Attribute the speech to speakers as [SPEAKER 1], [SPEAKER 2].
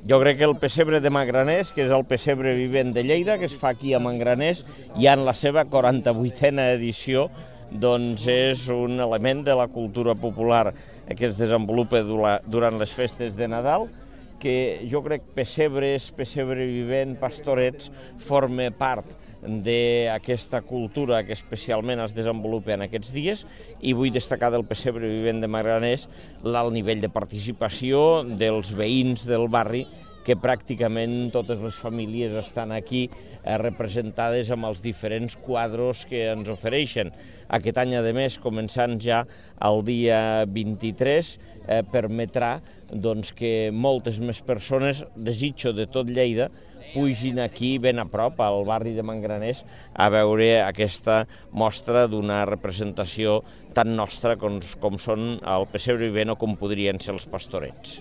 [SPEAKER 1] Jo crec que el pessebre de Mangraners, que és el pessebre vivent de Lleida, que es fa aquí a Mangraners, ja en la seva 48a edició, doncs és un element de la cultura popular que es desenvolupa durant les festes de Nadal, que jo crec pessebres, pessebre vivent, pastorets, forma part d'aquesta cultura que especialment es desenvolupa en aquests dies, i vull destacar del pessebre vivent de Mangraners l'alt nivell de participació dels veïns del barri, que pràcticament totes les famílies estan aquí representades amb els diferents quadros que ens ofereixen. Aquest any, a més, començant ja el dia 23, permetrà que moltes més persones, desitjo de tot Lleida, pugin aquí ben a prop, al barri de Mangraners, a veure aquesta mostra d'una representació tan nostra com són el pessebre vivent o com podrien ser els pastorets.